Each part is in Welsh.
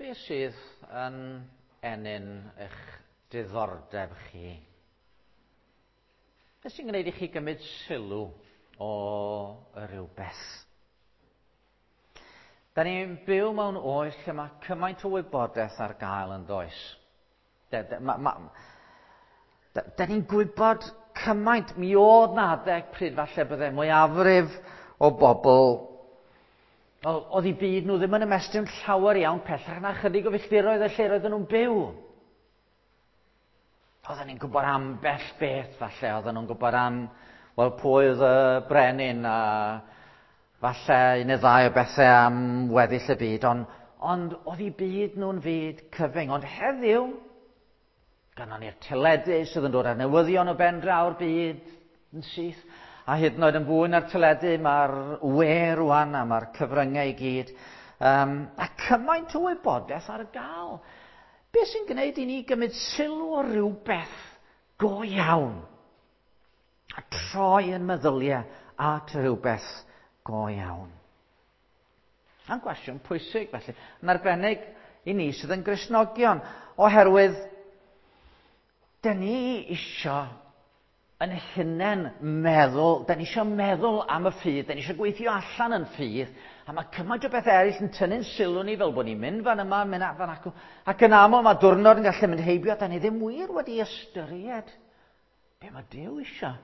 Be sydd yn ennyn eich diddordeb chi? Be sy'n gwneud i chi gymryd sylw o rywbeth? Da ni'n byw mewn oes lle mae cymaint o wybodaeth ar gael yn does. Da, da, ma, ma, da, da ni'n gwybod cymaint. Mi oedd na adeg pryd falle bydde mwyafrif o bobl Wel, oedd eu byd nhw ddim yn ymestyn llawer iawn pellach na chydig o filltiroedd y lle roedden nhw'n byw. Oedden ni'n gwybod ambell beth falle, oedden nhw'n gwybod am, wel, pwy oedd y brenin a falle un neu ddau o bethau am weddill y byd, ond, ond oedd eu byd nhw'n fyd cyfyng. Ond heddiw, Gynnon ni'r teledu sydd yn dod â'r newyddion o ben draw'r byd yn syth. A hyd yn oed yn fwy na'r teledu, mae'r we rwan a mae'r cyfryngau i gyd. Um, a cymaint o wybodaeth ar gael. Be sy'n gwneud i ni gymryd sylw o rhywbeth go iawn? A troi yn meddyliau at rhywbeth go iawn. A'n gwestiwn pwysig felly, yn arbennig i ni sydd yn Gristnogion, oherwydd dyn ni isio yn hunain meddwl, dyn ni isio meddwl am y ffydd, dyn ni isio gweithio allan yn ffydd, a mae cymaint o bethau eraill yn tynnu'n sylw ni fel bod ni'n mynd fan yma, mynd fan acw, ac yn aml mae diwrnod yn gallu mynd heibio, dyn ni ddim wir wedi ystyried be mae Duw isio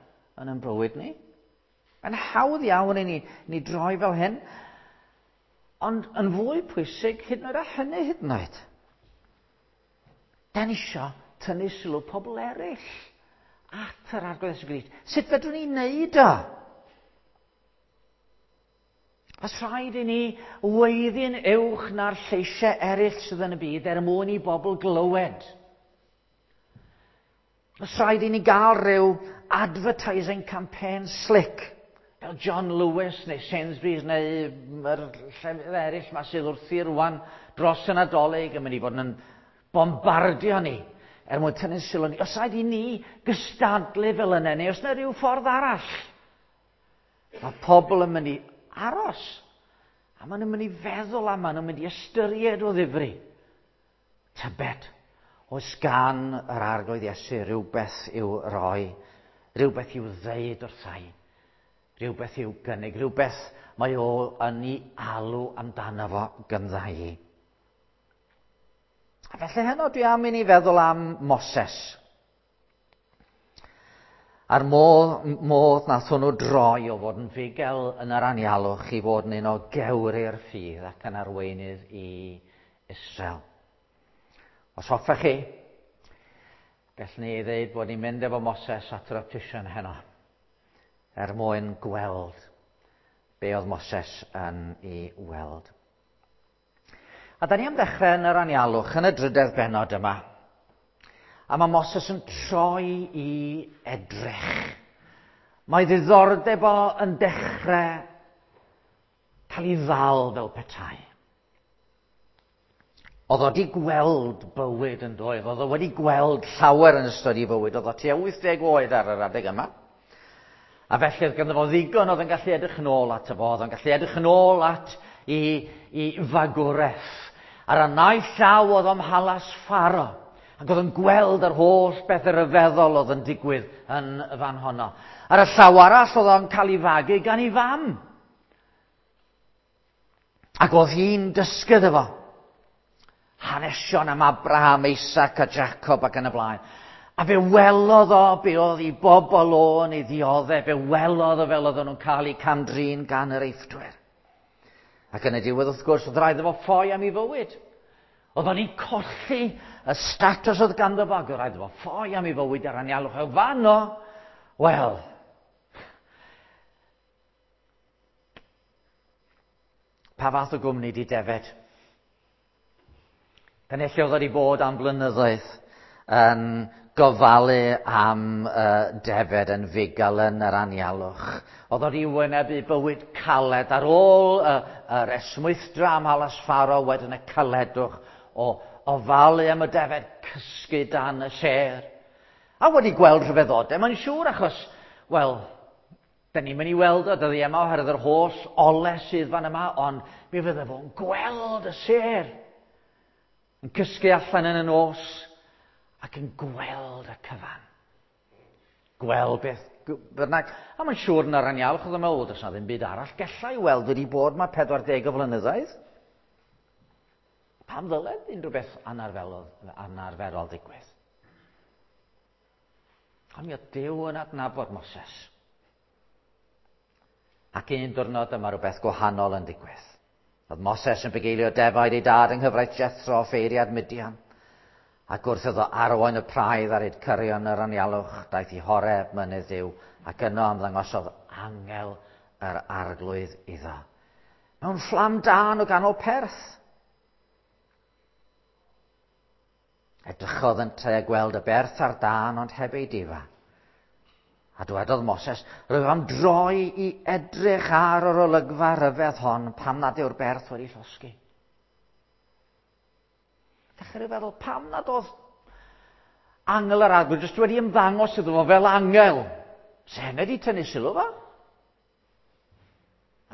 yn ein bywyd ni. Mae'n hawdd iawn i ni, ni droi fel hyn. Ond yn fwy pwysig, hyd yn oed a hynny hyd yn oed. Da ni isio tynnu sylw pobl eraill at yr Arglwydd Iesu Grist. Sut fedrwn ni wneud o? Os rhaid i ni weiddi'n uwch na'r lleisiau eraill sydd yn y byd er mwyn i bobl glywed. Os rhaid i ni gael rhyw advertising campaign slick, fel John Lewis neu Sainsbury's neu yr llefydd eraill ma sydd wrthi rwan dros y Nadolig yn mynd i fod yn bombardio ni er mwyn tynnu sylw ni. Os rhaid i ni gystadlu fel yna neu os yna rhyw ffordd arall, mae pobl yn mynd i aros a maen nhw'n mynd i feddwl a maen nhw'n mynd i ystyried o ddifri. Tybed, oes gan yr Arglwydd Iesu rywbeth i'w roi, rhywbeth i'w ddeud wrtha i, rhywbeth i'w gynnig, rhywbeth mae o yn ei alw amdano fo gyndda i. A felly heno dwi am i ni feddwl am Moses. A'r modd, modd nath hwnnw droi o fod yn fugel yn yr anialwch i fod yn un o gewri'r ffydd ac yn arweinydd i Israel. Os hoffech chi, gallwn ni ddeud bod ni'n mynd efo Moses at yr optician heno, er mwyn gweld be oedd Moses yn ei weld. A da ni am ddechrau yn yr anialwch, yn y drydedd bennod yma. A mae Moses yn troi i edrych. Mae ddiddordeb o yn dechrau cael ei ddal fel petai. Oedd o wedi gweld bywyd yn doedd, oedd o wedi gweld llawer yn ystod ei fywyd, oedd o tua 80 oed ar yr adeg yma. A felly oedd ganddo fo ddigon oedd yn gallu edrych yn ôl ato fo, oedd yn gallu edrych yn ôl at i, i fagwraeth. Ar y naill llaw oedd o'm halas Pharo, ac oedd yn gweld yr holl beth ryfeddol oedd yn digwydd yn y fan honno. Ar y llaw arall oedd o'n cael ei fagu gan ei fam. Ac oedd hi'n dysgu iddo fo hanesion am Abraham, Isaac a Jacob ac yn y blaen. A fe welodd o be oedd i bobl o yn ei ddioddef, fe welodd o fel oedden nhw'n cael eu cam-drin gan yr Eifftwyr. Ac yn y diwedd, wrth gwrs, oedd rhaid iddo fo ffoi am ei fywyd. Oedd o'n colli y statws oedd ganddo fo, ac oedd rhaid iddo fo ffoi am ei fywyd ar anialwch. O fanno, wel, Pa fath o gwmni di defed? Dyna lle oedd wedi bod am blynyddoedd yn gofalu am uh, defed yn fugail yn yr anialwch. Oedd wedi wynebu bywyd caled ar ôl uh, yr esmwythdra am halas Pharo wedyn y caledwch o ofalu am y defed cysgu dan y sêr. A wedi gweld rhyfeddodau, mae'n siŵr achos, wel, Da ni'n mynd i weld o dyddiau yma oherwydd yr holl ole sydd fan yma, ond mi fydde fo'n gweld y sêr. Yn cysgu allan yn y nos ac yn gweld y cyfan. Gweld beth bynnag. A mae'n siŵr yn yr anialwch oedd yn meddwl, does na ddim byd arall gallai weld wedi bod mae 40 o flynyddoedd. Pam ddyled unrhyw beth anarferol, anarferol ddigwydd? Ond mi oedd Duw yn adnabod Moses. Ac un diwrnod dyma rhywbeth gwahanol yn digwydd. Oedd Moses yn bugeilio defaid ei dad yng nghyfraith Jethro, ffeiriad Midian. Ac wrth iddo arwain y praidd ar hyd cyrion yr anialwch, daeth i Horeb, mynydd Duw, ac yno ymddangosodd angel yr arglwydd iddo. Mewn fflam dân o ganol perth. Edrychodd yntau a gweld y berth a'r dân, ond heb ei difa. A dywedodd Moses, rwyf am droi i edrych ar yr olygfa rhyfedd hon pam nad yw'r berth wedi llosgi. Dechrau feddwl, pam nad oedd angel yr arglwydd jyst wedi ymddangos iddo fo fel angel? Se hynny wedi tynnu sylw fo?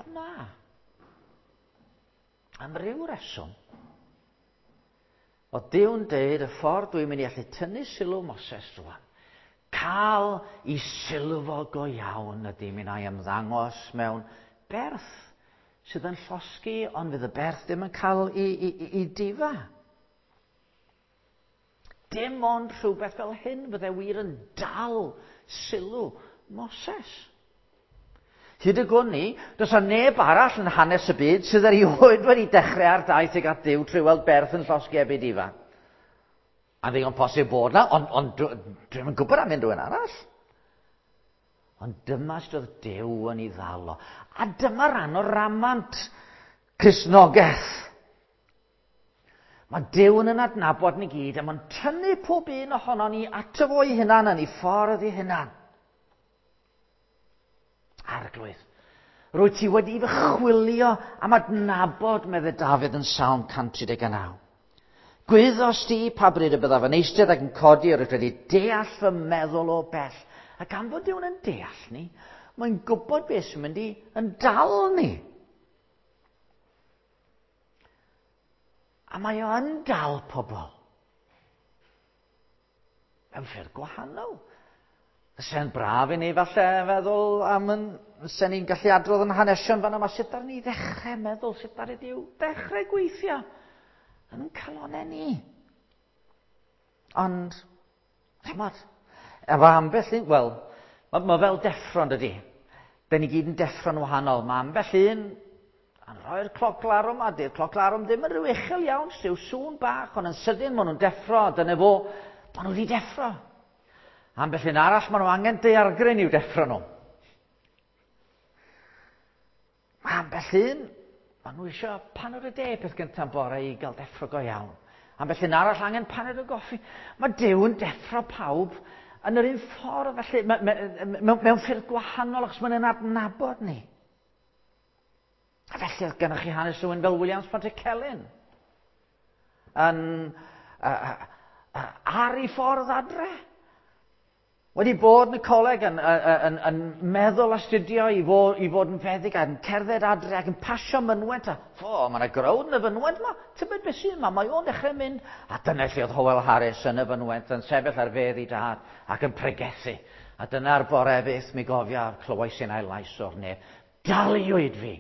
A na. Am ryw reswm, oedd Duw'n deud y ffordd dwi'n mynd i allu tynnu sylw Moses rwan, cael i sylw fo go iawn ydy mi wna i ymddangos mewn berth sydd yn llosgi, ond fydd y berth ddim yn cael i, i, i, i difa. Dim ond rhywbeth fel hyn fydde wir yn dal sylw Moses. Hyd y gwn i, does 'na neb arall yn hanes y byd sydd erioed wedi dechrau ar daith tuag at Dduw trwy weld berth yn llosgi heb ei difa. A ddigon posib bod na, ond, ond dwi'm yn gwybod am unrhyw un arall. Ond dyma sut oedd Duw yn ei ddal o. A dyma ran o ramant Cristnogaeth. Mae Duw yn yn adnabod ni gyd a mae'n tynnu pob un ohono ni ato fo ei hunan yn ei ffordd ei hunan. Arglwydd, rwy ti wedi fy chwilio am adnabod, medde Dafydd yn Salm 139. Gwyddos di pa bryd y byddaf yn eistedd ac yn codi, yr wyt wedi deall fy meddwl o bell. A gan fod Duw'n yn deall ni, mae'n gwybod beth sy'n mynd i yn dal ni. A mae o yn dal pobl. Mewn ffyrdd gwahanol. Fyse'n braf i ni falle feddwl am yn... Fysen ni'n gallu adrodd yn hanesion fan yma sut ar ni ddechrau meddwl, sut ar ydyw ddechrau gweithio yn calonau ni. Ond, chymod, efo ambell un, wel, mae ma fel deffro yn dydy. Da ni gyd yn deffro'n wahanol. Mae ambell un yn rhoi'r cloc larwm, a dy'r cloc larwm ddim yn rhyw uchel iawn, rhyw sŵn bach, ond yn sydyn maen nhw'n deffro, a dyna fo, maen nhw wedi deffro. Ambell un arall, maen nhw angen daeargryn i'w deffro nhw. Mae ambell un, maen nhw eisiau paned o de peth gyntaf bore i gael deffro go iawn. Ambell un arall angen paned o goffi. Mae Duw yn deffro pawb yn yr un ffordd, felly, mewn ffyrdd gwahanol, achos mae'n adnabod ni. A felly oedd gennych chi hanes rhywun fel Williams Pantycelyn yn, uh, uh, ar ei ffordd adre. Wedi bod yn y coleg yn, yn, yn, yn meddwl astudio i fod, i fod yn feddyg ac yn cerdded adre ac yn pasio mynwent a fo, mae yna growd yn y fynwent yma, tybed beth sydd yma, mae o'n dechrau mynd. A dyna lle oedd Howell Harris yn y fynwent yn sefyll ar fedd ei dad ac yn pregethu. A dyna'r bore fyth mi gofia clywais i'n ail lais o'r nef. Daliwyd fi.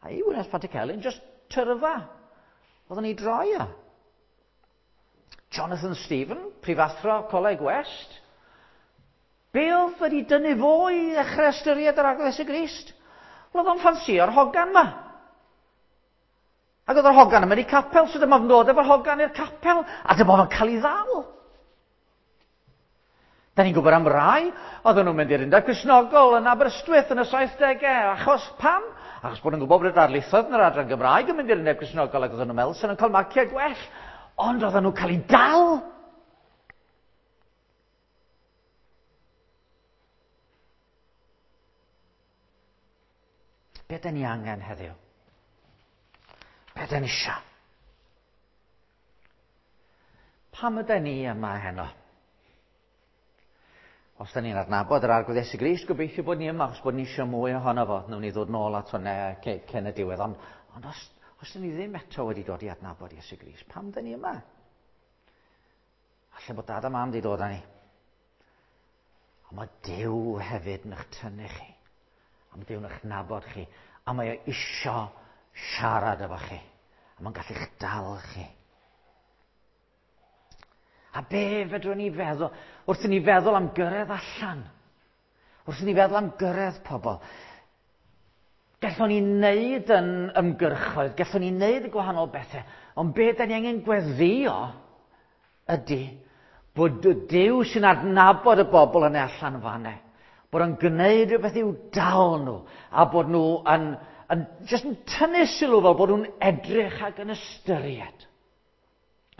A i Wynedd Pantycelyn, just tyrfa. Oedden ni droi o. Jonathan Stephen, prifathro Coleg West. Be oedd wedi dynnu fo i ddechrau ystyried yr Arglwydd Iesu Grist? Wel, oedd o'n ffansio'r hogan ma. Ac oedd yr hogan yn mynd i capel, so dyma fo'n dod efo'r hogan i'r capel, a dyma fo'n cael ei ddal. Da ni'n gwybod am rai, oedden nhw'n mynd i'r Undeb Cristnogol yn Aberystwyth yn y 70au, achos pam? Achos bod nhw'n gwybod bod y darlithoedd yn yr adran Gymraeg yn mynd i'r Undeb Cristnogol ac oedden nhw'n meddwl sy'n nhw'n cael marciau gwell. Ond oedden nhw'n cael eu dal. Be da ni angen heddiw? Be da ni eisiau? Pam ydyn ni yma heno? Os da ni'n adnabod yr Arglwydd Iesu Grist, gobeithio bod ni yma, achos bod ni eisiau mwy ohono fo. Wnawn ni ddod nôl at hwnna cyn y diwedd. Ond, ond os, Os dyn ni ddim eto wedi dod i adnabod Iesu Grist, pam dyn ni yma? Falle bod dad a mam wedi dod â ni. Ond mae Duw hefyd yn eich tynnu chi. A mae Duw yn eich nabod chi. A mae o isio siarad efo chi. A mae'n gallu'ch dal chi. A be fedrwn ni feddwl, wrth i ni feddwl am gyrraedd allan, wrth i ni feddwl am gyrraedd pobl, gallwn ni wneud yn ymgyrchoedd, gallwn ni wneud y gwahanol bethau, ond be da ni angen gweddio ydy bod Duw sy'n adnabod y bobl yna allan fanne, bod o'n gwneud rhywbeth i'w dal nhw, a bod nhw yn, yn, just yn tynnu sylw fel bod nhw'n edrych ac yn ystyried.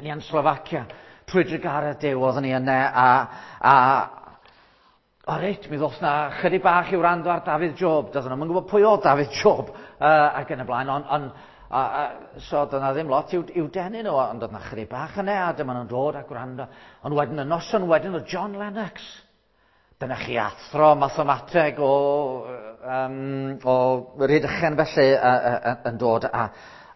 Ni yn Slovacia, trwy drugaredd Duw, oeddwn ni yna, a, a o reit, mi ddoth na chydig bach i wrando ar Dafydd Job. Doedden nhw'n gwybod pwy oedd Dafydd Job ac yn y blaen, ond on, a, a, so doedd na ddim lot i'w, i'w denu nhw, ond doedd na chydig bach yna, a dyma nhw'n dod a gwrando. Ond wedyn y noson wedyn oedd John Lennox. Dyna chi athro mathemateg o, um, o Rhydychen felly yn dod a,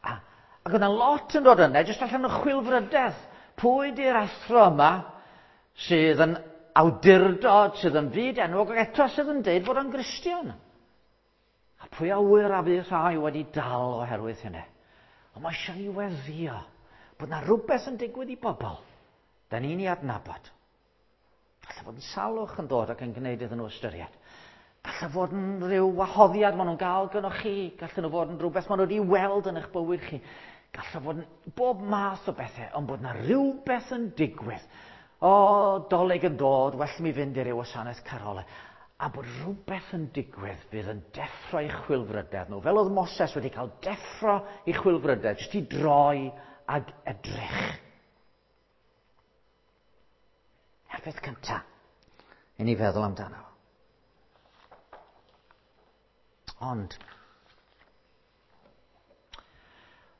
a, ac oedd yna lot yn dod yna, jyst allan o chwilfrydedd. Pwy di'r athro yma sydd yn awdurdod, sydd yn fyd enwog, ac eto sydd yn deud bod o'n Gristion? A pwy a wyr a fydd rhai wedi dal oherwydd hynny? Ond mae eisiau ni weddio bod na rhywbeth yn digwydd i bobl. Da ni'n ei adnabod. Gallai fod yn salwch yn dod ac yn gwneud iddyn nhw ystyried. Gallai fod yn rhyw wahoddiad maen nhw'n gael gyda chi. Gallai nhw fod yn rhywbeth maen nhw wedi weld yn eich bywyd chi. Gallai fod yn bob math o bethau, ond bod na rhywbeth yn digwydd. O, dolig yn dod, well mi fynd i ryw wasanaeth carolau. A bod rhywbeth yn digwydd fydd yn deffro i chwilfrydedd nhw. Fel oedd Moses wedi cael deffro i chwilfrydedd, jyst i droi ag edrych. A'r peth cyntaf i ni feddwl amdano. Ond,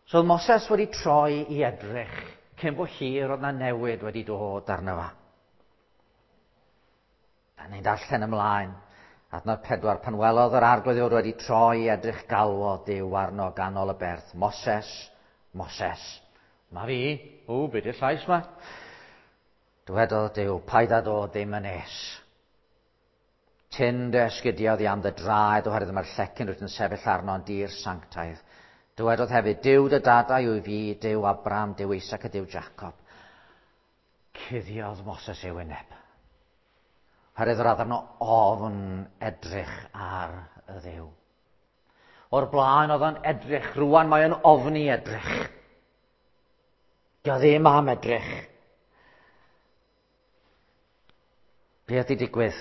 so oedd Moses wedi troi i edrych cyn bo hir oedd na newid wedi dod arno fo. Da ni'n darllen ymlaen. Adnod 4, pan welodd yr arglwydd fod wedi troi i edrych galwodd Duw arno ganol y berth. Moses, Moses. Ma fi, o, be di'r llais ma? Dywedodd Duw, paid â dod ddim yn nes. Tyn dy esgidiau oddi am dy draed oherwydd mae'r llecyn rwyt yn sefyll arno yn dir sanctaidd. Dywedodd hefyd, Duw dy dadau yw fi, Duw Abraham, Duw Isaac a Duw Jacob. Cuddiodd Moses ei wyneb. Oherwydd yr oedd arno ofn edrych ar y Dduw. O'r blaen oedd o'n edrych, rwan mae o'n ofni edrych. Dio ddim am edrych. Be ydy digwydd?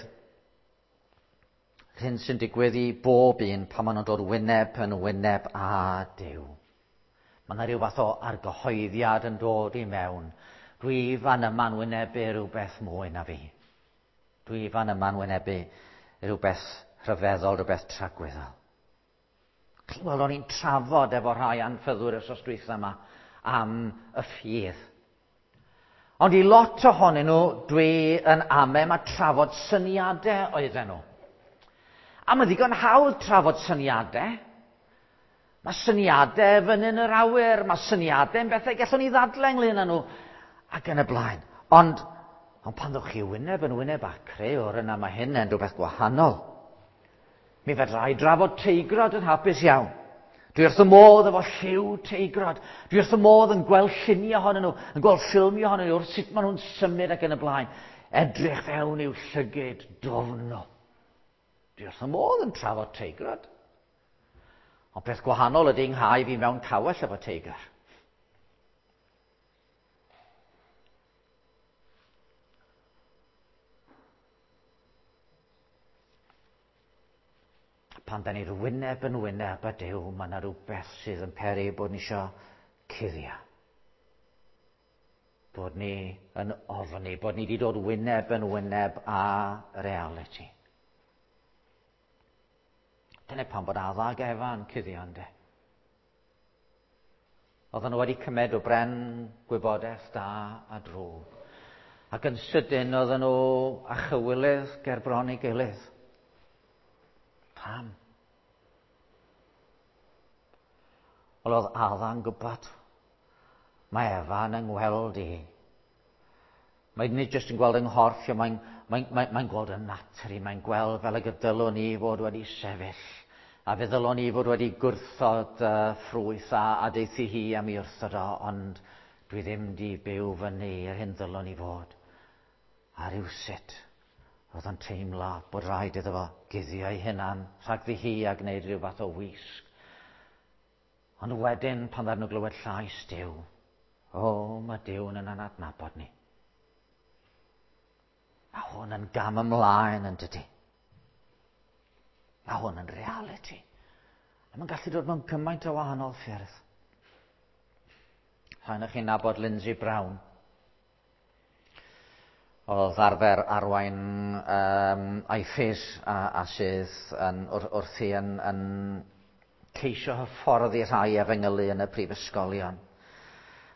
Hyn sy'n digwydd i bob un pan maen nhw'n dod wyneb yn wyneb â Duw. Mae yna rhyw fath o argyhoeddiad yn dod i mewn. Dwi fan yma'n wynebu rhywbeth mwy na fi. Dwi fan yma'n wynebu rhywbeth rhyfeddol, rhywbeth tragwyddol. Chi'n gweld, o'n i'n trafod efo rhai anffyddwyr wythnos dwytha yma am y ffydd. Ond i lot ohonyn nhw, dwi yn ame mae trafod syniadau oedden nhw. A mae ddigon hawdd trafod syniadau. Mae syniadau fyny yn yr awyr, mae syniadau yn bethau gallwn ni ddadlau ynglyn â nhw, ac yn y blaen. Ond, ond pan ddewch chi wyneb yn wyneb â crëwr, yna mae hyn yn rhywbeth gwahanol. Mi fedra i drafod teigrod yn hapus iawn. Dwi wrth y modd efo lliw teigrod. Dwi wrth y modd yn gweld lluniau ohonyn nhw, yn gweld ffilmiau ohonyn nhw, wrth sut maen nhw'n symud ac yn y blaen. Edrych fewn i'w llygid dofn nhw. Dwi wrth y modd yn trafod teigrod. Ond peth gwahanol ydy nghau fi mewn cawell efo teigr. Pan da ni'r wyneb yn wyneb â Duw, mae yna rhywbeth sydd yn peri bod ni isio cuddio. Bod ni yn ofni, bod ni wedi dod wyneb yn wyneb â reality. Dyna pam bod Adda ag Efa yn cuddio ynde. Oedden nhw wedi cymed o bren gwybodaeth da a drwg. Ac yn sydyn oedden nhw a chywilydd ger bron ei gilydd. Pam? Wel, oedd Adda'n gwybod. Mae Efa'n yng ngweld i. Mae nid jyst yn gweld yng nghorff, mae'n mae, mae, mae gweld yn natur i, mae'n gweld fel y gydylwn i fod wedi sefyll. A fe ddylwn i fod wedi gwrthod ffrwyth a, a deithi hi am i wrthod o, ond dwi ddim di byw fyny i'r hyn ddylwn i fod. A rhywsut, roedd o'n teimlo bod rhaid iddo fo guddio ei hunan rhagddi hi a gwneud rhyw fath o wisg. Ond wedyn, pan ddaru nhw glywed llais Duw, o, mae Duw yn yna'n adnabod ni. Mae hwn yn gam ymlaen yn dydy. Mae hwn yn reality. A mae'n gallu dod mewn gymaint o wahanol ffyrdd. Rhaid chi'n nabod Lindsay Brown. Oedd arfer arwain um, IFES a, a sydd yn, wr, wrthi yn, yn ceisio hyfforddi rhai efengylu yn y prifysgolion.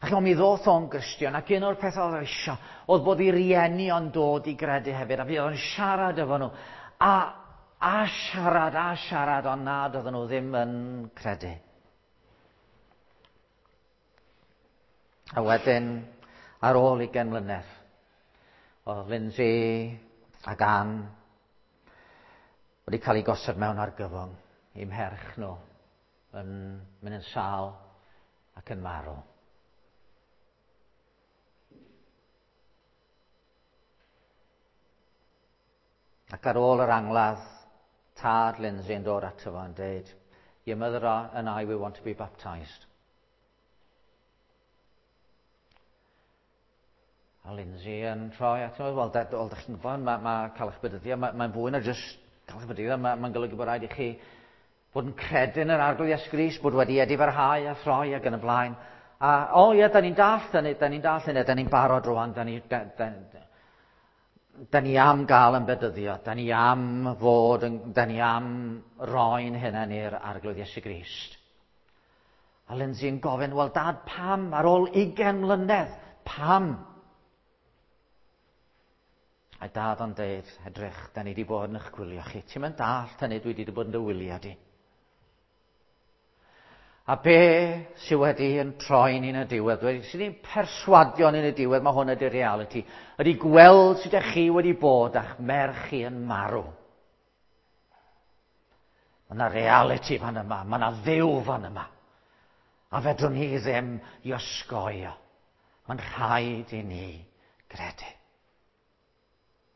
Ac mi ddoth o'n Gristion, ac un o'r pethau oedd eisiau, oedd bod i rieni o'n dod i gredu hefyd, a fi oedd yn siarad efo nhw. A, a siarad, a siarad, ond nad oedden nhw ddim yn credu. A wedyn, ar ôl 20 mlynedd, oedd Lindsay ac Ann wedi cael ei gosod mewn argyfwng i'm herch nhw yn mynd yn sâl ac yn marw. Ac ar ôl yr angladd, tad Lindsay yn dod ato fo yn dweud, Your mother and I, we want to be baptised. A Lindsay yn troi ato fo, wel, da, wel, da chi'n gwybod, mae, ma cael eich bedyddio, mae'n ma fwy na jyst cael eich bedyddio, mae'n ma golygu bod rhaid i chi fod yn credu yn yr Arglwydd Iesu Grist, bod wedi edifarhau a throi ac yn y blaen. A, o ie, da ni'n dallt hynny, da ni'n dallt hynny, da ni'n barod rwan, da ni, da, da, da ni am gael yn bedyddio, da ni am fod, yn, da ni am roi'n hunain i'r Arglwydd Iesu Grist. A Lindsay yn gofyn, wel dad, pam ar ôl 20 mlynedd? Pam? A dad o'n deud, edrych, da ni wedi bod yn eich gwylio chi. Ti'n mynd dallt hynny, dwi wedi bod yn dy wylio di. A be sydd wedi yn troi ni'n y diwedd, wedi sydd ni'n perswadio ni'n y diwedd, mae hwn ydy'r reality, ydy gweld sut ydych chi wedi bod a'ch merch chi yn marw. Mae yna reality fan yma, mae yna ddew fan yma. A fedrwn ni ddim i osgoi o. Mae'n rhaid i ni gredu.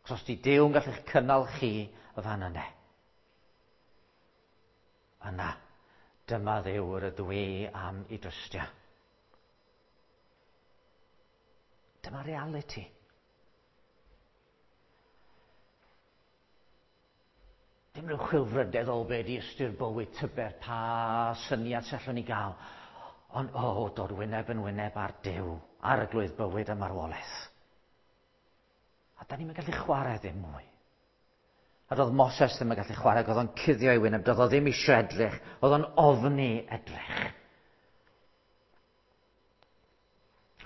Os os di Duw yn gallu'ch cynnal chi y fan yna. Yna, dyma Dduw yr ydw i am i drystio. Dyma reality. Dim rhyw chwilfrydedd o be di ystyr bywyd tybed pa syniad sy allwn ni gael. Ond o, oh, dod wyneb yn wyneb ar Duw, ar y glwydd bywyd a marwolaeth. A da ni'n gallu chwarae ddim mwy. A doedd Moses ddim yn gallu chwarae, oedd o'n cuddio ei wyneb, doedd o ddim eisiau edrych, oedd o'n ofni edrych.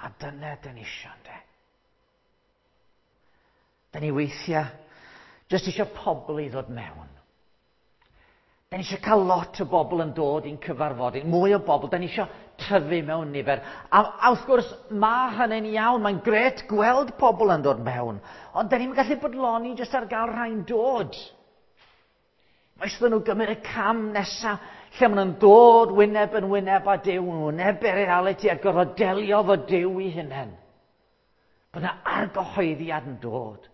A dyna dyn ni eisiau, ynddo. Da ni weithiau jyst eisiau pobl i ddod mewn. Da ni eisiau cael lot o bobl yn dod i'n cyfarfod, mwy o bobl, da ni eisiau tyfu mewn nifer. A, a wrth gwrs, mae hynny'n iawn, mae'n gret gweld pobl yn dod mewn, ond da ni'n gallu bodloni jyst ar gael rhai'n dod. Mae eisiau nhw gymryd y cam nesaf lle maen nhw'n dod wyneb yn wyneb â Duw, yn wynebu'r reality a gorfod delio fo Duw i hunain. Bod yna argyhoeddiad yn dod.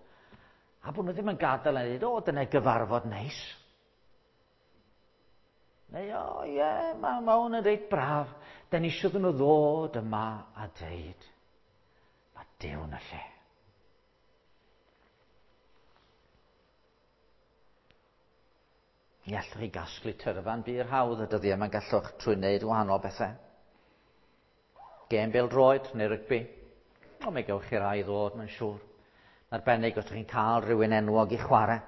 A bod nhw ddim yn gadael yn dweud, o, dyna gyfarfod neis. Neu, o, ie, yeah, mae ma hwn yn reit braf. Da ni eisiau nhw ddod yma a deud, mae Duw yn y lle. Mi allwch chi gasglu tyrfan bur hawdd y dyddiau yma gallwch trwy wneud wahanol bethau. Gêm bêl-droed neu rygbi. O, mi gewch chi rai ddod, mae'n siŵr. Yn arbennig os ydych chi'n cael rhywun enwog i chwarae.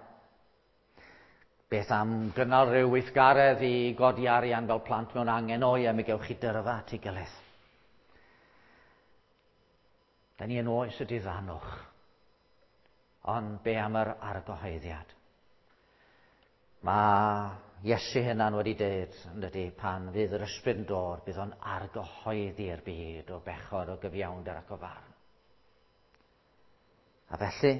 Beth am gynnal rhyw weithgaredd i godi arian fel plant mewn angen? O ie, mi gewch chi dyrfa at ei gilydd. Da ni yn oes y diddanwch. Ond be am yr argyhoeddiad? Mae Iesu hynna'n wedi dweud, yn dydy, pan fydd yr ysbryd yn dod, bydd o'n argyhoeddi'r byd o bechod, o gyfiawnder ac o farn. A felly,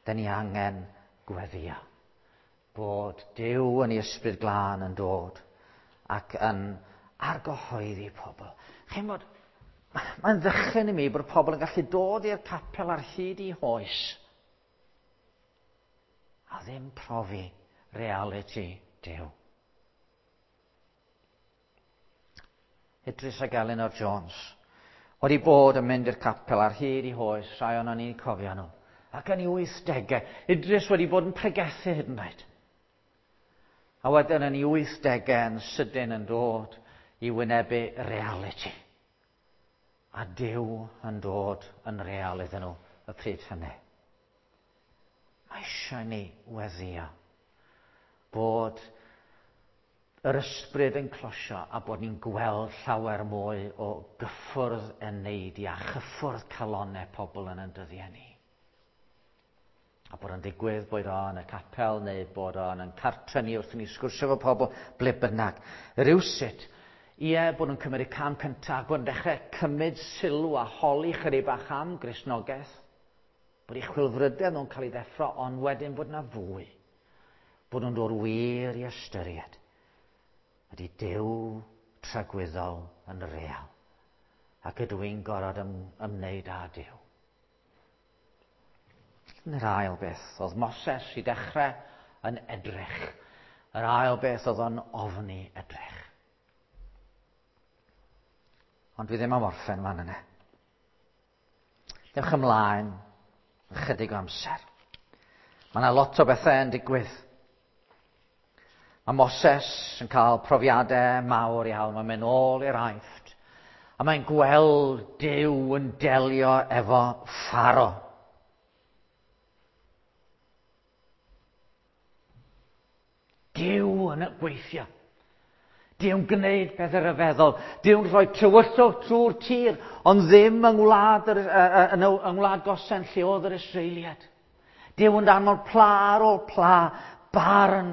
da ni angen gweddio bod Duw yn ei ysbryd glân yn dod ac yn argyhoeddi pobl. Chi'n bod, mae'n ddychryn i mi bod pobl yn gallu dod i'r capel ar hyd i hoes a ddim profi reality Duw. Idris ac Elinor Jones wedi bod yn mynd i'r capel ar hyd i hoes, rhai o'n ni'n cofio nhw. Ac yn ei 80au, Idris wedi bod yn pregethu hyd yn oed. A wedyn yn ei 80au yn sydyn yn dod i wynebu reality. A Duw yn dod yn real iddyn nhw y pryd hynny. Mae eisiau ni weddio bod yr ysbryd yn closio a bod ni'n gweld llawer mwy o gyffwrdd eneidiau a chyffwrdd calonnau pobl yn ein dyddiau ni. A bod o'n digwydd, boed o yn y capel neu bod o yn cartre ni wrth i ni sgwrsio efo pobl, ble bynnag. Rywsut, ie, bod nhw'n cymryd y cam cyntaf, bod nhw'n dechrau cymryd sylw a holi chydig bach am Gristnogaeth, bod eu chwilfrydedd nhw'n cael ei ddeffro, ond wedyn bod yna fwy. Bod nhw'n dod wir i ystyried. Ydy Duw tragwyddol yn real? Ac ydw i'n gorfod ymwneud â Duw? Yr ail beth, oedd Moses i dechrau yn edrych. Yr ail beth oedd o'n ofni edrych. Ond dwi ddim am orffen fan yna. Dewch ymlaen ychydig o amser. Mae yna lot o bethau yn digwydd. Mae Moses yn cael profiadau mawr iawn. Mae'n mynd ôl i'r Aifft. A mae'n gweld Duw yn delio efo Pharo. Duw yn gweithio. Duw'n gwneud pethau rhyfeddol. Duw'n rhoi tywyllwch trwy'r tir, ond ddim yng ngwlad, yr, yng ngwlad Gosen lle oedd yr Israeliad. Duw yn danfon pla ar ôl pla, barn.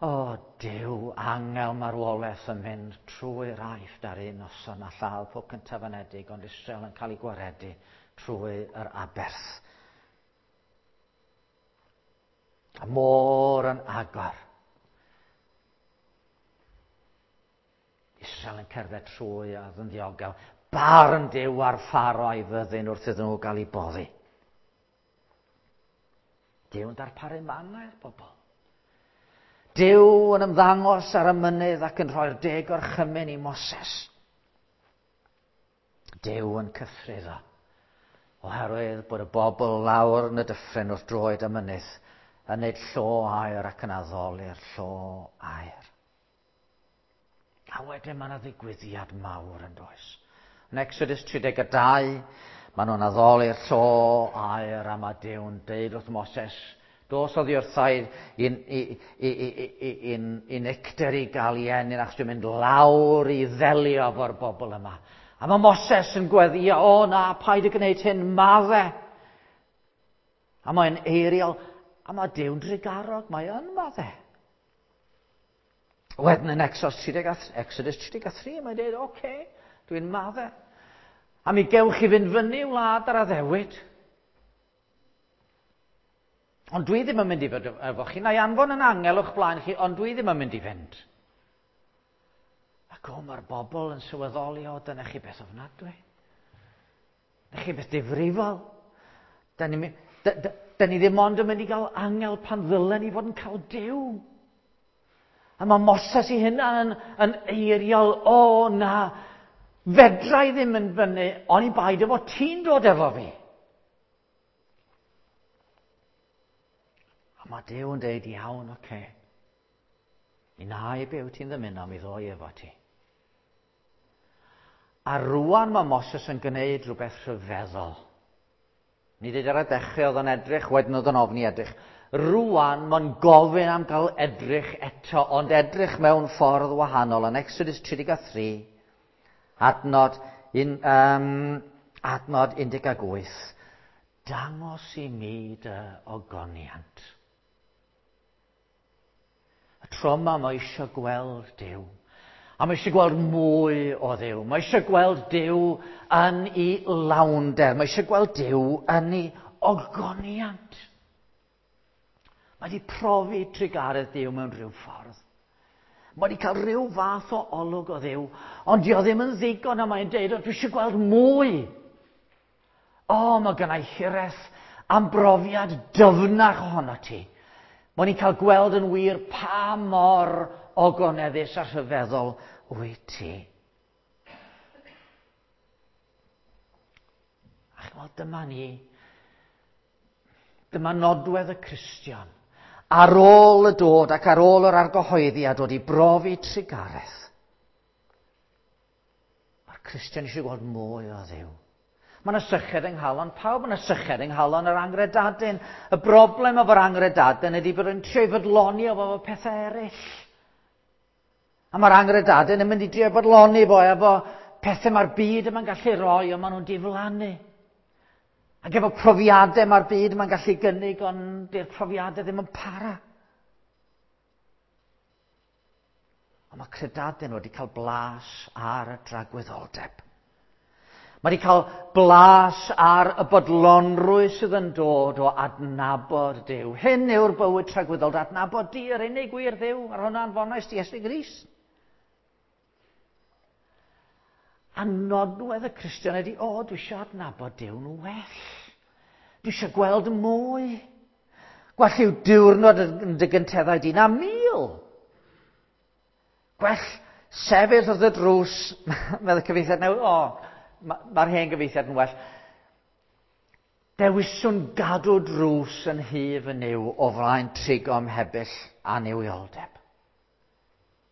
O, Duw, angel marwolaeth yn mynd trwy'r Aifft ar un noson a lladd pob cyntaf anedig, ond Israel yn cael ei gwaredu trwy yr aberth. A môr yn agor. Israel yn cerdded trwy a yn ddiogel. Barn Duw ar Pharo a'i fyddin wrth iddyn nhw gael ei boddi. Duw yn darparu manna i'r bobl. Duw yn ymddangos ar y mynydd ac yn rhoi'r 10 orchymyn i Moses. Duw yn cythruddo, oherwydd bod y bobl lawr yn y dyffryn wrth droed y mynydd yn neud llo aur ac yn addoli'r llo aur. A wedyn mae yna ddigwyddiad mawr yn does. Yn Exodus 32, maen nhw'n addoli'r llo aur a mae Duw'n deud wrth Moses, dos oddi wrtha i nicter i gael i ennyn, achos dwi'n mynd lawr i ddelio efo'r bobl yma. A mae Moses yn gweddio, o na, paid â gwneud hyn, madde. A mae'n eiriol, a mae Duw'n drugarog, mae yn madde. Wedyn yn Exodus 33, mae'n dweud, oce, dwi'n madde. A mi gewch chi fynd fyny wlad ar addewid. Ond dwi ddim yn mynd i fod efo chi. Na i anfon yn angel o'ch blaen chi, ond dwi ddim yn mynd i fynd. Ac o, mae'r bobl yn sylweddoli, o, dyna chi beth ofnadwy. Dyna chi beth difrifol. Da ni ddim ond yn mynd i gael angel pan ddylen ni fod yn cael Duw. A mae Moses i hunan yn eiriol, o na, fedra i ddim yn fyny, oni bai dy fod ti'n dod efo fi. A mae Duw yn dweud, iawn, oce. Mi na i be wyt ti'n ddymuno, mi ddoi efo ti. A rwan mae Moses yn gwneud rhywbeth rhyfeddol. Ni dweud ar y dechrau oedd o'n edrych, wedyn oedd o'n ofni edrych. Rwan mae'n gofyn am gael edrych eto, ond edrych mewn ffordd wahanol. Yn Exodus 33, adnod 18, dangos i mi dy ogoniant. Y tro yma mae eisiau gweld Duw. A mae eisiau gweld mwy o Dduw. Mae eisiau gweld Duw yn ei lawnder. Mae eisiau gweld Duw yn ei ogoniant. Mae wedi profi trugaredd Duw mewn rhyw ffordd. Mae wedi cael rhyw fath o olwg o Dduw, ond di o ddim yn ddigon a mae'n deud, dwi eisiau gweld mwy. O, mae gennau hiraeth am brofiad dyfnach ohono ti. Mae ni'n cael gweld yn wir pa mor ogoneddus a rhyfeddol wyt ti. A chymod, dyma ni. Dyma nodwedd y Cristion. Ar ôl y dod ac ar ôl yr argyhoeddi a dod i brofi trugaredd. Mae'r Cristion eisiau gweld mwy o Dduw. Mae yna syched yng nghalon pawb, mae yna syched yng nghalon yr angredadun. Y broblem efo'r angredadun ydy bod yn trio i fodloni efo pethau eraill. A mae'r angredadun yn mynd i drio fodloni fo efo pethau mae'r byd yma'n gallu roi, ond maen nhw'n diflannu. Ac efo profiadau mae'r byd yma'n gallu gynnig, ond di'r profiadau ddim yn para. Ond mae credadun wedi cael blas ar y dragwyddoldeb. Mae wedi cael blas ar y bodlonrwydd sydd yn dod o adnabod Duw. Hyn yw'r bywyd tragwyddol, adnabod di yr unig gwir Dduw, ar hwnna anfonais di Iesu Grist. A nodwedd y Cristion ydy, o, dwi eisiau adnabod Duw'n well. Dwi eisiau gweld mwy. Gwell yw diwrnod yn dy gynteddau di na 1000. Gwell sefyll wrth y drws, meddwl cyfieithiad newydd, o, mae'r hen gyfieithiad yn well. Dewiswn gadw drws yn nhŷ fy Nuw o flaen trigo ymhebyll a nuwioldeb.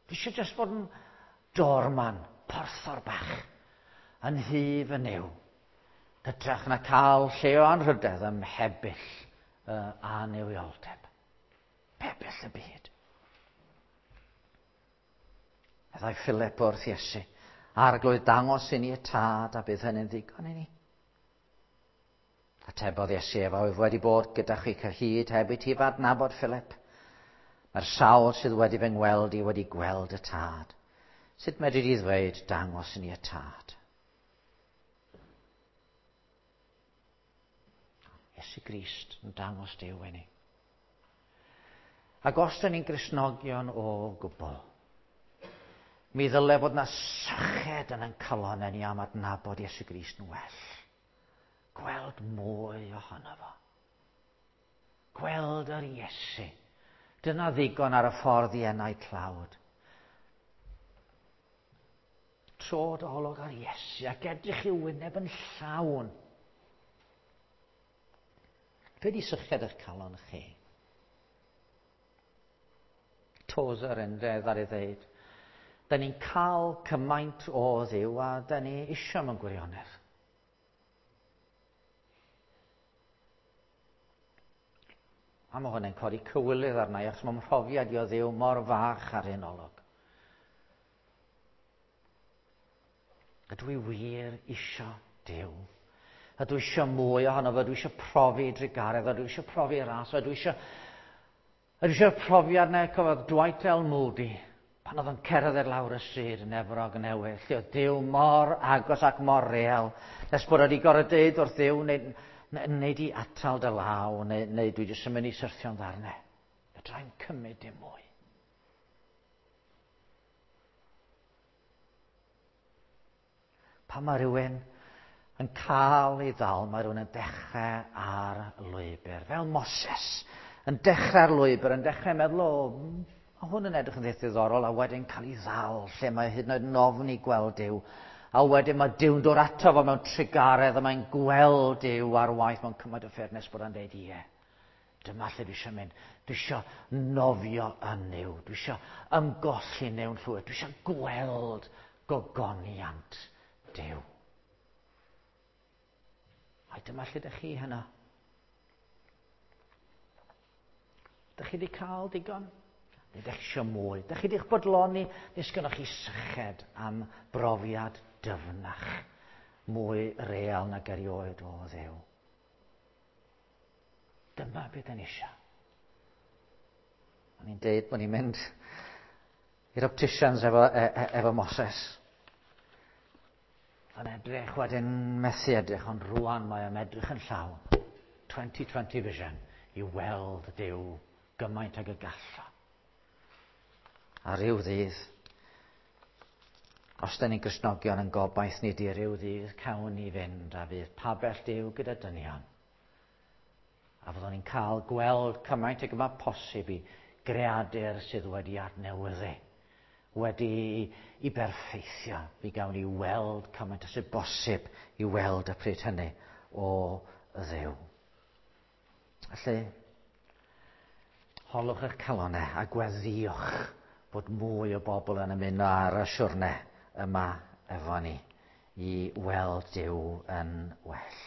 Dwi eisiau jyst bod yn doorman, porthor bach, yn nhŷ fy Nuw. Hytrach na cael lle o anrhydedd ym mhebyll a nuwioldeb. Pebyll y byd. Meddai Philip wrth Iesu, Arglwydd, dangos i ni y tad a bydd hynny'n ddigon i ni. Atebodd Iesu efo, wyf wedi bod gyda chi cyhyd heb i ti f'adnabod, Philip. Mae'r sawl sydd wedi fy ngweld i wedi gweld y tad. Sut medri di ddweud, dangos i ni y tad? Iesu Grist yn dangos Duw i ni. Ac os dyn ni'n Gristnogion o gwbl, mi ddyle fod na syched yn ein calonnau ni am adnabod Iesu Grist yn well. Gweld mwy ohono fo. Gweld yr Iesu. Dyna ddigon ar y ffordd i enau tlawd. Tro dy olwg ar Iesu ac edrych i'w wyneb yn llawn. Be di syched eich calon chi? Tozer yn dde ar ei ddeud. Da ni'n cael cymaint o Dduw a da ni isio mewn gwirionedd. A mae hwnna'n codi cywilydd arna i, achos mae mhrofiad i o Dduw mor fach ar hyn olwg. Ydw i wir isio Duw? Ydw i eisiau mwy ohono fo? Ydw i eisiau profi drugaredd? Ydw i eisiau profi ras? Ydw i eisiau... Ydw i eisiau'r profiad na cofodd Dwight L. Moody pan oedd yn cerdded lawr y stryd yn Efrog Newydd, lle oedd Duw mor agos ac mor real, nes bod wedi gorfod deud wrth Dduw, neu, neu di atal dy law, neu, neu dwi jyst yn mynd i syrthio'n ddarnau. Fedra i'm cymryd dim mwy. Pan mae rhywun yn cael ei ddal, mae rhywun yn dechrau ar lwybr. Fel Moses, yn dechrau ar lwybr, yn dechrau meddwl, o, mae hwn yn edrych yn ddiddorol, a wedyn cael ei ddal, lle mae hyd yn oed yn ofni gweld Duw. A wedyn mae Duw'n dod ato fo mewn trugaredd, a mae'n gweld Duw ar waith mewn cymaint o ffyrdd nes bod o'n deud, ie, dyma lle dwi eisiau mynd. Dwi eisiau nofio yn Nuw. Dwi eisiau ymgolli Nuw'n llwyr. Dwi eisiau gweld gogoniant Duw. Ai dyma lle dych chi heno? Dych chi wedi cael digon? Neu dych chi eisiau mwy? Dych chi wedi'ch bodloni? Neu sgynnoch chi syched am brofiad dyfnach, mwy real nag erioed o Dduw? Dyma beth da ni eisiau. O'n i'n deud bod ni'n mynd i'r opticians efo, e, e, efo Moses. Yn edrych wedyn methu edrych, ond rwan mae o'n edrych yn llawn. 2020 vision i weld Duw gymaint ag y gallo. A ryw ddydd, os da ni'n Gristnogion yn gobaith ni di ryw ddydd cawn ni fynd a fydd pabell Duw gyda dynion. A fyddwn ni'n cael gweld cymaint ag yma posib i greadur sydd wedi adnewyddu, wedi i berffeithio. Mi gawn ni weld cymaint ag sydd bosib i weld y pryd hynny o Dduw. Felly, holwch eich calonau a gweddïwch bod mwy o bobl yn ymuno ar y siwrne yma efo ni i weld Duw yn well.